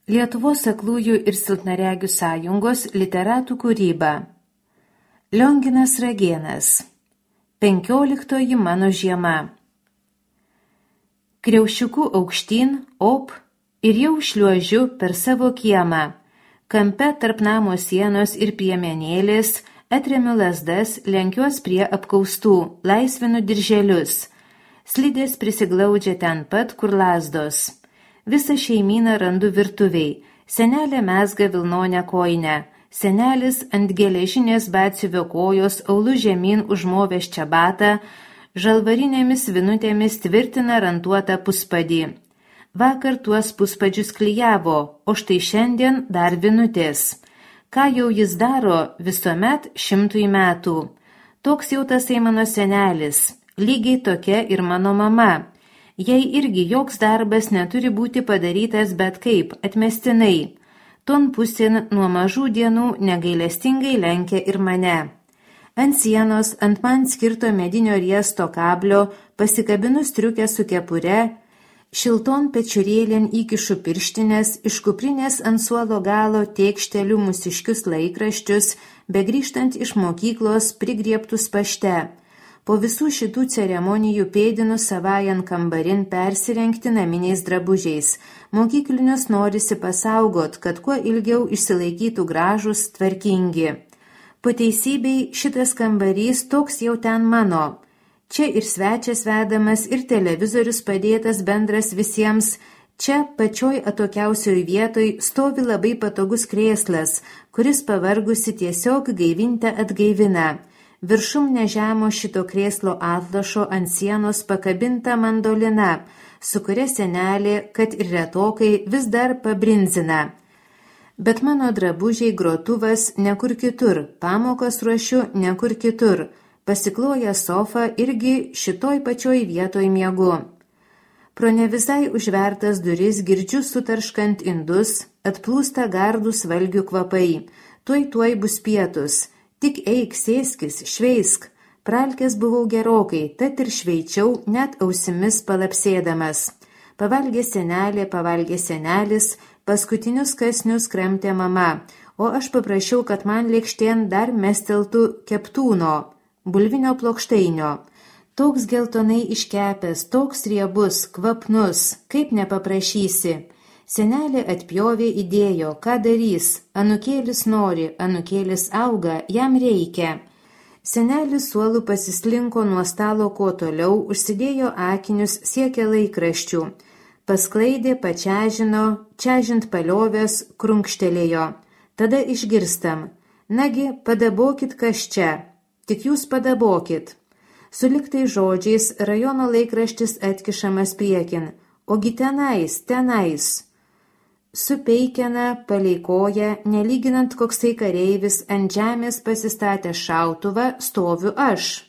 Lietuvos aklųjų ir silpnaregių sąjungos literatų kūryba. Lionginas Ragėnas. 15 mano žiema. Kriaušiuku aukštyn, op, ir jau šliuožiu per savo kiemą. Kampe tarp namo sienos ir piemenėlės atremiu lazdas, lenkiuos prie apkaustų, laisvinu dirželius. Slidės prisiglaudžia ten pat, kur lazdos. Visą šeimyną randu virtuviai. Senelė mezga vilnonę kojinę. Senelis ant geležinės batsiuvio kojos aulu žemyn užmovęs čebatą, žalvarinėmis vinutėmis tvirtina rantuotą puspadį. Vakar tuos puspadžius klijavo, o štai šiandien dar vinutės. Ką jau jis daro visuomet 100 metų. Toks jau tasai mano senelis, lygiai tokia ir mano mama. Jei irgi joks darbas neturi būti padarytas bet kaip, atmestinai. Ton pusėn nuo mažų dienų negailestingai lenkia ir mane. Ant sienos, ant man skirto medinio riesto kablio, pasikabinu striukę su kepure, šilton pečiurėlėn įkišu pirštinės, iš kuprinės ant suolo galo tėkšteliu mūsiškius laikraščius, begrįžtant iš mokyklos prigriebtus pašte. Po visų šitų ceremonijų pėdinu savajan kambarin persirengti naminiais drabužiais. Mokyklinius norisi pasaugot, kad kuo ilgiau išsilaikytų gražus, tvarkingi. Po teisybei šitas kambarys toks jau ten mano. Čia ir svečias vedamas, ir televizorius padėtas bendras visiems. Čia pačioj atokiausioj vietoj stovi labai patogus krėslas, kuris pavargusi tiesiog gaivintę atgaivina. Viršum nežemo šito krėslo atlašo ant sienos pakabinta mandolina, su kuria senelė, kad ir retokai, vis dar pabrinzina. Bet mano drabužiai grotuvas nekur kitur, pamokas ruošiu nekur kitur, pasikloja sofą irgi šitoj pačioj vietoj miegu. Pro ne visai užvertas duris girdžiu sutarškant indus, atplūsta gardūs valgių kvapai, tuoj bus pietus. Tik eik, sėskis, šveisk. Pralkės buvau gerokai, tad ir šveičiau, net ausimis palapsėdamas. Pavalgė senelė, pavalgė senelis, paskutinius kasnius kramtė mama, o aš paprašiau, kad man lėkštėn dar mesteltų keptūno, bulvinio plokšteinio. Toks geltonai iškepęs, toks riebus, kvapnus, kaip nepaprašysi. Senelė atpjovė, įdėjo, ką darys, anukėlis nori, anukėlis auga, jam reikia. Senelis suolų pasislinko nuo stalo kuo toliau, užsidėjo akinius, siekė laikraščių. Pasklaidė, pačiažino, čiažint paliovės, krunkštelėjo. Tada išgirstam. Nagi, padabokit kas čia. Tik jūs padabokit. Suliktai žodžiais rajono laikraštis atkišamas priekin. Ogi tenais. Supeikena, paleikoja, nelyginant koksai kareivis, ant žemės pasistatęs šautuvą, stoviu aš.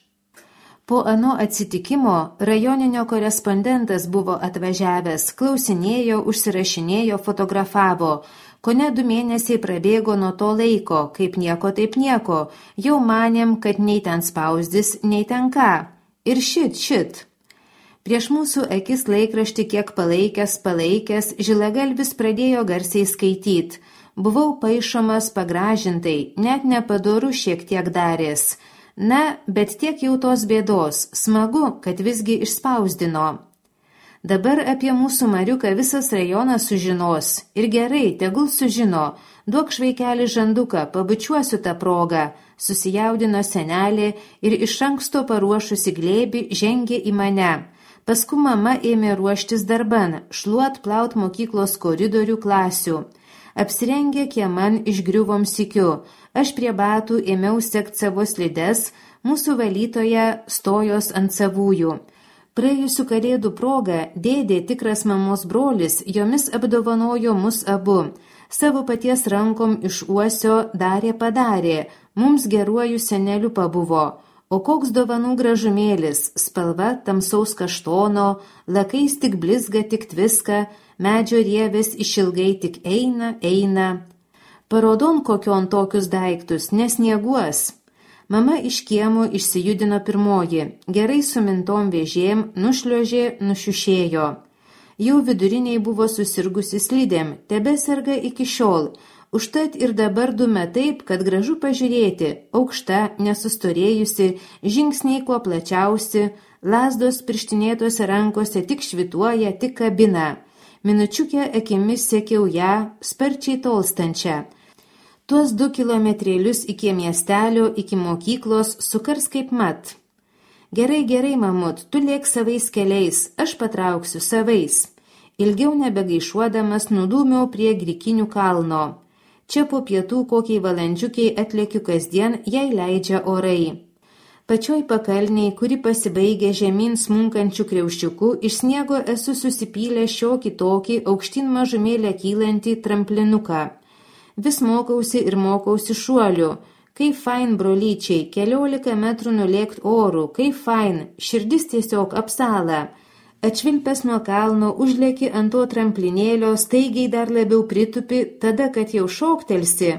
Po ano atsitikimo rajoninio korespondentas buvo atvažiavęs, klausinėjo, užsirašinėjo, fotografavo. Kone 2 mėnesiai prabėgo nuo to laiko, kaip nieko taip nieko, jau manėm, kad nei ten spausdis, nei ten ką. Ir šit. Prieš mūsų akis laikraštį kiek palaikęs, žilagalvis pradėjo garsiai skaityti. Buvau paišomas pagražintai, net nepadoru šiek tiek darės. Na, bet tiek jau tos bėdos, smagu, kad visgi išspausdino. Dabar apie mūsų Mariuką visas rajonas sužinos. Ir gerai, tegul sužino. Duok švaikelį žanduką, pabučiuosiu tą progą. Susijaudino senelė ir iš anksto paruošusi glėbį žengė į mane. Paskui mama ėmė ruoštis darban, šluot plaut mokyklos koridorių klasių. Apsirengė kieman išgriuvom sykiu. Aš prie batų ėmiau sekt savo slides, mūsų valytoja stojos ant savųjų. Praėjusių kalėdų proga dėdė, tikras mamos brolis, jomis apdovanojo mus abu. Savo paties rankom iš uosio padarė, mums geruoju seneliu pabuvo. O koks dovanų gražumėlis, spalva tamsaus kaštono, lakais tik blizga, tik tviska, medžio rievės išilgai tik eina. Parodon kokion tokius daiktus, nesnieguos. Mama iš kiemo išsijudino pirmoji, gerai sumintom vėžėm, nušliuožė, nušiušėjo. Jau viduriniai buvo susirgusi slidėm, tebeserga iki šiol. Užtat ir dabar dūme taip, kad gražu pažiūrėti, aukšta, nesustorėjusi, žingsniai kuo plačiausi, lazdos pirštinėtose rankose tik švituoja, tik kabina. Minučiukę akimis sekiau ją, sparčiai tolstančią. Tuos 2 kilometrėlius iki miestelio, iki mokyklos sukars kaip mat. Gerai, mamut, tu lėk savais keliais, aš patrauksiu savais. Ilgiau nebegaišuodamas nudūmiau prie Grikinių kalno. Čia po pietų kokiai valandžiukiai atlėkiu kasdien, jei leidžia orai. Pačioj pakalniai, kuri pasibaigė žemyn smunkančių kriauščiukų, iš sniego esu susipylę šiokį tokį aukštyn mažumėlę kylantį tramplinuką. Vis mokausi ir mokausi šuolių. Kaip fain, brolyčiai, 14 metrų nulėkt orų, kaip fain, širdis tiesiog apsala. Atšvilpęs nuo kalno, užlėki ant to tramplinėlio, staigiai dar labiau pritupi, tada, kad jau šoktelsi.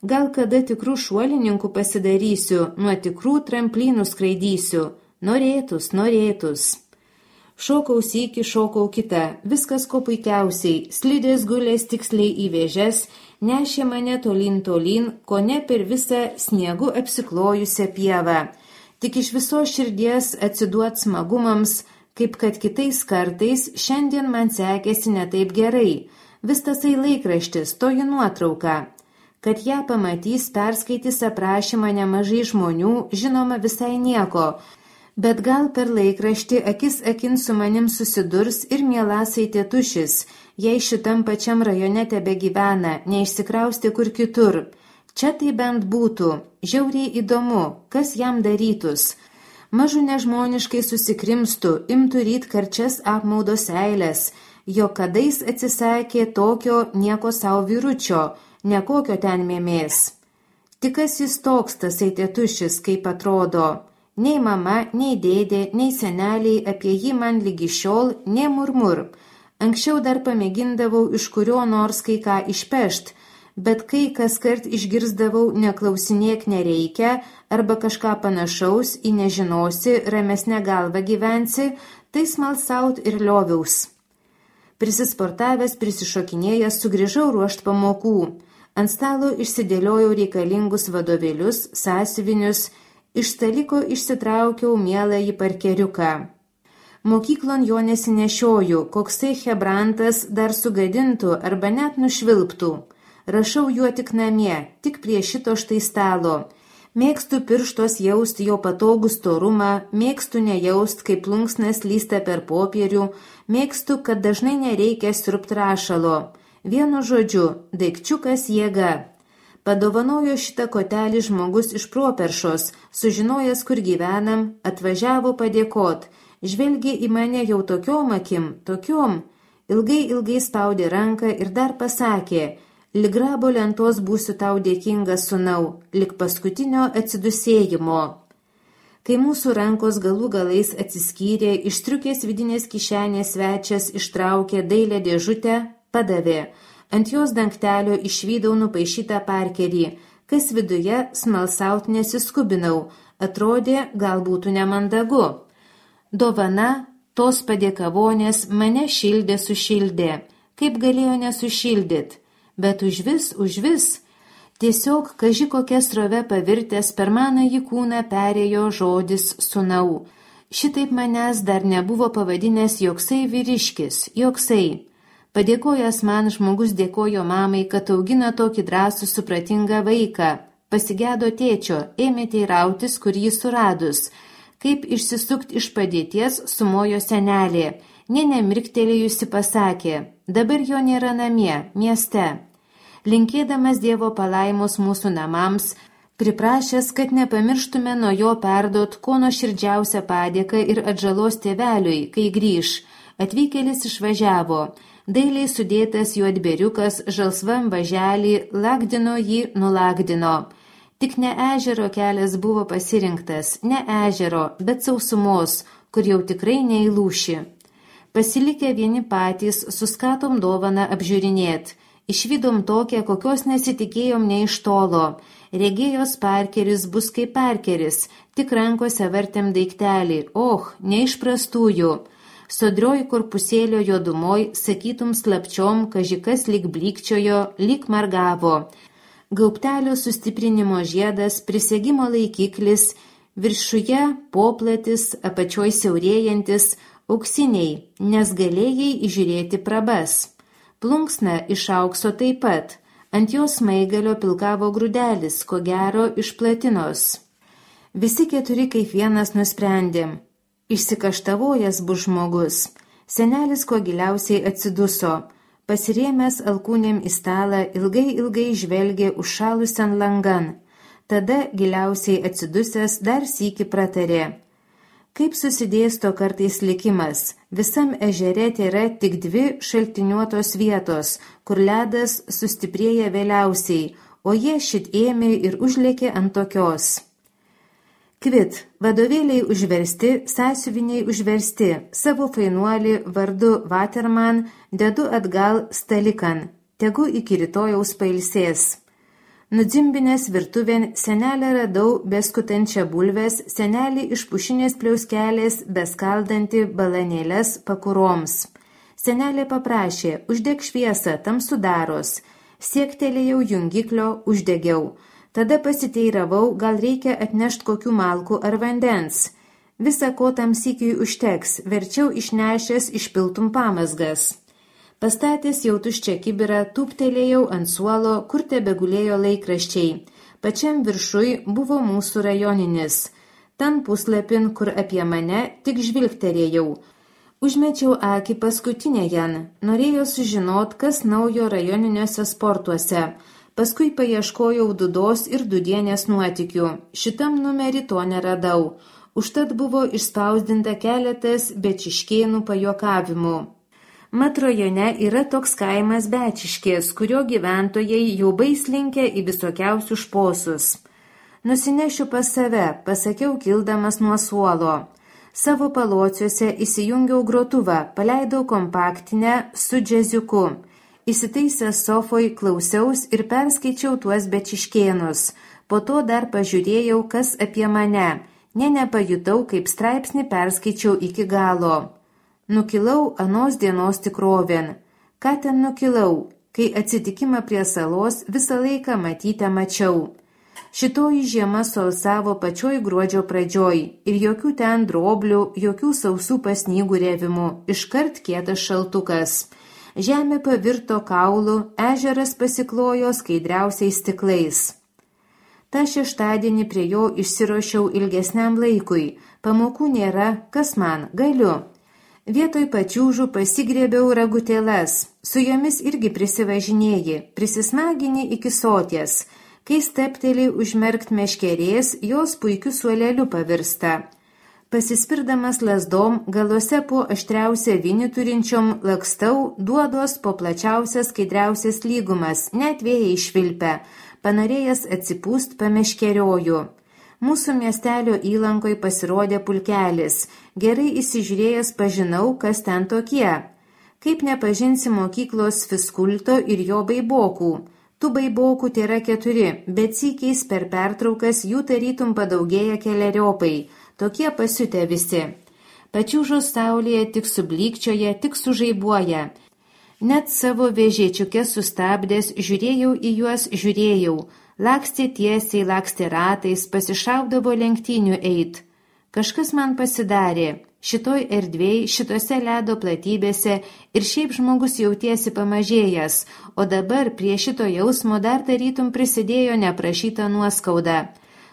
Gal kada tikrų šuolininkų pasidarysiu, nuo tikrų tramplinų skraidysiu. Norėtus. Šokau sykį, šokau kitą, viskas ko puikiausiai, slidės gulės tiksliai į vėžes, nešė mane tolyn, ko ne per visą sniegu apsiklojusią pievą. Tik iš visos širdies atsiduot smagumams, kaip kad kitais kartais, šiandien man sekėsi ne taip gerai. Vis tasai laikraštis, toji nuotrauka. Kad ją pamatys, perskaitys aprašymą nemažai žmonių, žinoma visai nieko. Bet gal per laikraštį akis akin su manim susidurs ir mielasai tėtušis, jei šitam pačiam rajone tebegyvena, neišsikrausti kur kitur. Čia tai bent būtų, žiauriai įdomu, kas jam darytus. Mažu nežmoniškai susikrimstų, imtų ryt karčias apmaudo seilės, jo kadais atsisakė tokio nieko savo vyručio, nekokio ten mėmės. Tik kas jis toks tasai tėtušis, kaip atrodo. Nei mama, nei dėdė, nei seneliai apie jį man lygi šiol, nei murmur. Anksčiau dar pamėgindavau iš kurio nors kai ką išpešt, bet kai kas kart išgirsdavau neklausinėk nereikia arba kažką panašaus į nežinosi, ramesnę galvą gyvensi, tai smalsaut ir lioviaus. Prisisportavęs, prisišokinėjęs, sugrįžau ruošt pamokų. Ant stalo išsidėliojau reikalingus vadovėlius, sąsiuvinius, iš staliko išsitraukiau mieląjį parkeriuką. Mokyklon jo nesinešioju, koksai hebrantas dar sugadintų arba net nušvilptų. Rašau juo tik namie, tik prie šito štai stalo. Mėgstu pirštos jaust jo patogų storumą, mėgstu nejaust, kaip plunksnas lysta per popierių, mėgstu, kad dažnai nereikia siurbt rašalo. Vienu žodžiu, daikčiukas jėga. Padovanojo šitą kotelį žmogus iš Properšos, sužinojęs, kur gyvenam, atvažiavo padėkot, žvelgė į mane jau tokiom akim, ilgai spaudė ranką ir dar pasakė, lig grabo lentos būsiu tau dėkingas sūnau, lig paskutinio atsidusėjimo. Kai mūsų rankos galų galais atsiskyrė, iš striukės vidinės kišenės svečias ištraukė dailią dėžutę, padavė. Ant jos dangtelio išvydau nupaišytą parkerį, kas viduje smalsaut nesiskubinau, atrodė gal būtų nemandagu. Dovana, tos padėkavonės mane sušildė, kaip galėjo nesušildyt, bet užvis, tiesiog kaži kokia srove pavirtęs per manąjį kūną perėjo žodis sūnau. Šitaip manęs dar nebuvo pavadinęs joksai vyriškis, joksai. Padėkojęs man žmogus dėkojo mamai, kad augina tokį drąsų supratingą vaiką. Pasigedo tėčio, ėmė teirautis, kur jį suradus. Kaip išsisukt iš padėties, sumojo senelė. Nė nemirktelėjusi pasakė, dabar jo nėra namie, mieste. Linkėdamas Dievo palaimos mūsų namams, priprašęs, kad nepamirštume nuo jo perduot ko nuoširdžiausią padėką ir atžalos tėveliui, kai grįž. Atvykėlis išvažiavo. Dailiai sudėtas juodberiukas žalsvam važelį lagdino jį nulagdino. Tik ne ežero kelias buvo pasirinktas, ne ežero, bet sausumos, kur jau tikrai neįlūši. Pasilikę vieni patys, suskatom dovaną apžiūrinėt. Išvydom tokią, kokios nesitikėjom ne iš tolo. Regėjos parkeris bus kaip parkeris, tik rankose vartėm daiktelį, ne iš prastųjų. Sodrioj korpusėlio juodumoj, sakytum slapčiom, kažikas lyg blykčiojo, lyg margavo. Gaubtelio sustiprinimo žiedas, prisegimo laikiklis, viršuje poplatis, apačioj siaurėjantis, auksiniai, nes galėjai įžiūrėti prabas. Plunksna iš aukso taip pat, ant jos smaigalio pilkavo grūdelis, ko gero iš platinos. Visi keturi kaip vienas nusprendėm. Išsikaštavojęs bus žmogus. Senelis kuo giliausiai atsiduso. Pasirėmęs alkūnėm į stalą, ilgai žvelgė užšalusian langan. Tada giliausiai atsidusęs dar sykį pratarė. Kaip susidėsto kartais likimas, visam ežere tėra tik 2 šaltiniuotos vietos, kur ledas sustiprėja vėliausiai, o jie šit ėmė ir užlėkė ant tokios. Kvit, vadovėliai užversti, sąsiuviniai užversti, savo fainuolį vardu Waterman dedu atgal stalikan, tegu iki rytojaus pailsės. Nudzimbinės virtuvėn senelę radau beskutančią bulves, senelį iš pušinės pliauskelės beskaldanti balanėles pakuroms. Senelė paprašė, uždeg šviesą, tamsu daros. Siektelėjau jungiklio, uždegiau. Tada pasiteiravau, gal reikia atnešt kokių malkų ar vandens. Visa ko tam sykiui užteks, verčiau išnešęs išpiltum pamazgas. Pastatęs jau tuščią kibirą, tūptelėjau ant suolo, kur tebegulėjo laikraščiai. Pačiam viršui buvo mūsų rajoninis. Tan puslapin, kur apie mane, tik žvilgterėjau. Užmečiau akį paskutinėjan. Norėjau sužinot, kas naujo rajoniniuose sportuose. Paskui paieškojau Dudos ir Dudienės nuotykių. Šitam numerį to neradau. Užtat buvo išspausdinta keletas Bečiškėnų pajuokavimų. Mat rajone yra toks kaimas Bečiškės, kurio gyventojai jau baislinkę į visokiausius šposus. Nusinešiu pas save, pasakiau kildamas nuo suolo. Savo palociuose įsijungiau grotuvą, paleidau kompaktinę su džiaziuku. Įsitaisęs sofoj klausiaus ir perskaičiau tuos Bečiškėnus. Po to dar pažiūrėjau, kas apie mane. Nepajutau, kaip straipsnį perskaičiau iki galo. Nukilau anos dienos tikrovėn. Ką ten nukilau, kai atsitikimą prie salos visą laiką matytę mačiau. Šitoji žiema solsavo pačioj gruodžio pradžioj ir jokių ten droblių, jokių sausų pasnygų rėvimų, iškart kietas šaltukas. Žemė pavirto kaulu, ežeras pasiklojo skaidriausiais stiklais. Ta šeštadienį prie jo išsiruošiau ilgesniam laikui. Pamokų nėra, kas man, galiu. Vietoj pačiūžų pasigrėbiau ragutėlas, su jomis irgi prisivažinėji, prisismagini iki soties. Kai stepteli užmerkt meškerės, jos puikiu suoleliu pavirsta. Pasispirdamas lasdom, galuose po aštriausią vinį turinčiom lakstau, duodos po plačiausias skaidriausias lygumas, net vėjai švilpia, panorėjęs atsipūst pameškerioju. Mūsų miestelio įlankoj pasirodė pulkelis. Gerai įsižiūrėjęs pažinau, kas ten tokie. Kaip nepažinsi mokyklos fiskulto ir jo baibokų. Tų baibokų tėra 4, bet sykiais per pertraukas jų tarytum padaugėja keleriopai. Tokie pasiutę visi. Pačiūžos saulėje tik sublykčioja, tik sužaibuoja. Net savo vežėčiuke sustabdęs, žiūrėjau į juos, Lakstė tiesiai, lakstė ratais, pasišaukdavo lenktynių eit. Kažkas man pasidarė. Šitoj erdvėj, šitose ledo platybėse ir šiaip žmogus jautiesi pamažėjęs, o dabar prie šito jausmo dar tarytum prisidėjo neprašyta nuoskauda.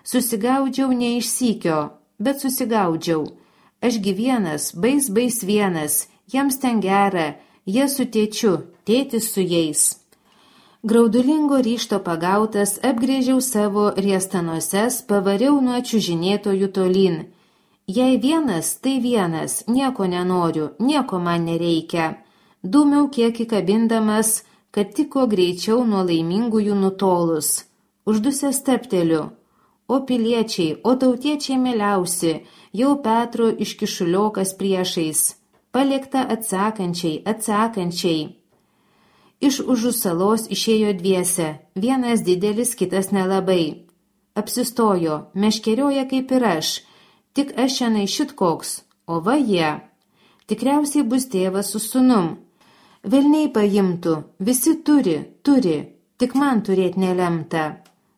Susigaudžiau ne iš sykio, bet susigaudžiau. Ašgi vienas, bais vienas, jiems ten gera, jie su tėčiu, tėtis su jais. Graudulingo ryžto pagautas, apgrėžiau savo riestanoses, pavariau nuo čiužinėtojų tolyn. Jei vienas, tai vienas, nieko nenoriu, nieko man nereikia. Dūmiau kiek įkabindamas, kad tiko greičiau nuo laimingųjų nutolus. Uždusęs stepteliu. O piliečiai, o tautiečiai mieliausi, jau Petro iškišuliokas priešais. Palikta atsakančiai. Iš užų salos išėjo dviese, vienas didelis, kitas nelabai. Apsistojo, meškerioja kaip ir aš, tik aš šiandien šit koks, o va jie. Tikriausiai bus tėvas su sūnum. Velniai paimtų, visi turi, tik man turėt nelemta.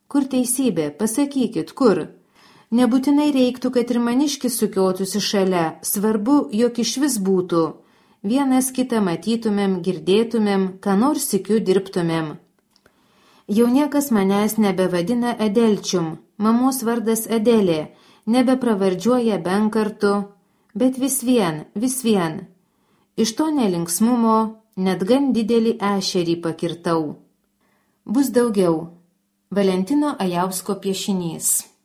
Kur teisybė, pasakykit, kur? Nebūtinai reiktų, kad ir maniškis sukiotųsi šalia, svarbu, jog iš vis būtų. Vienas kitą matytumėm, girdėtumėm, ką nors sykiu dirbtumėm. Jau niekas manęs nebevadina Adelčium, mamos vardas Adelė, nebepravardžiuoja Benkartu, bet vis vien. Iš to nelinksmumo net gan didelį ešerį pakirtau. Bus daugiau. Valentino Ajausko piešinys.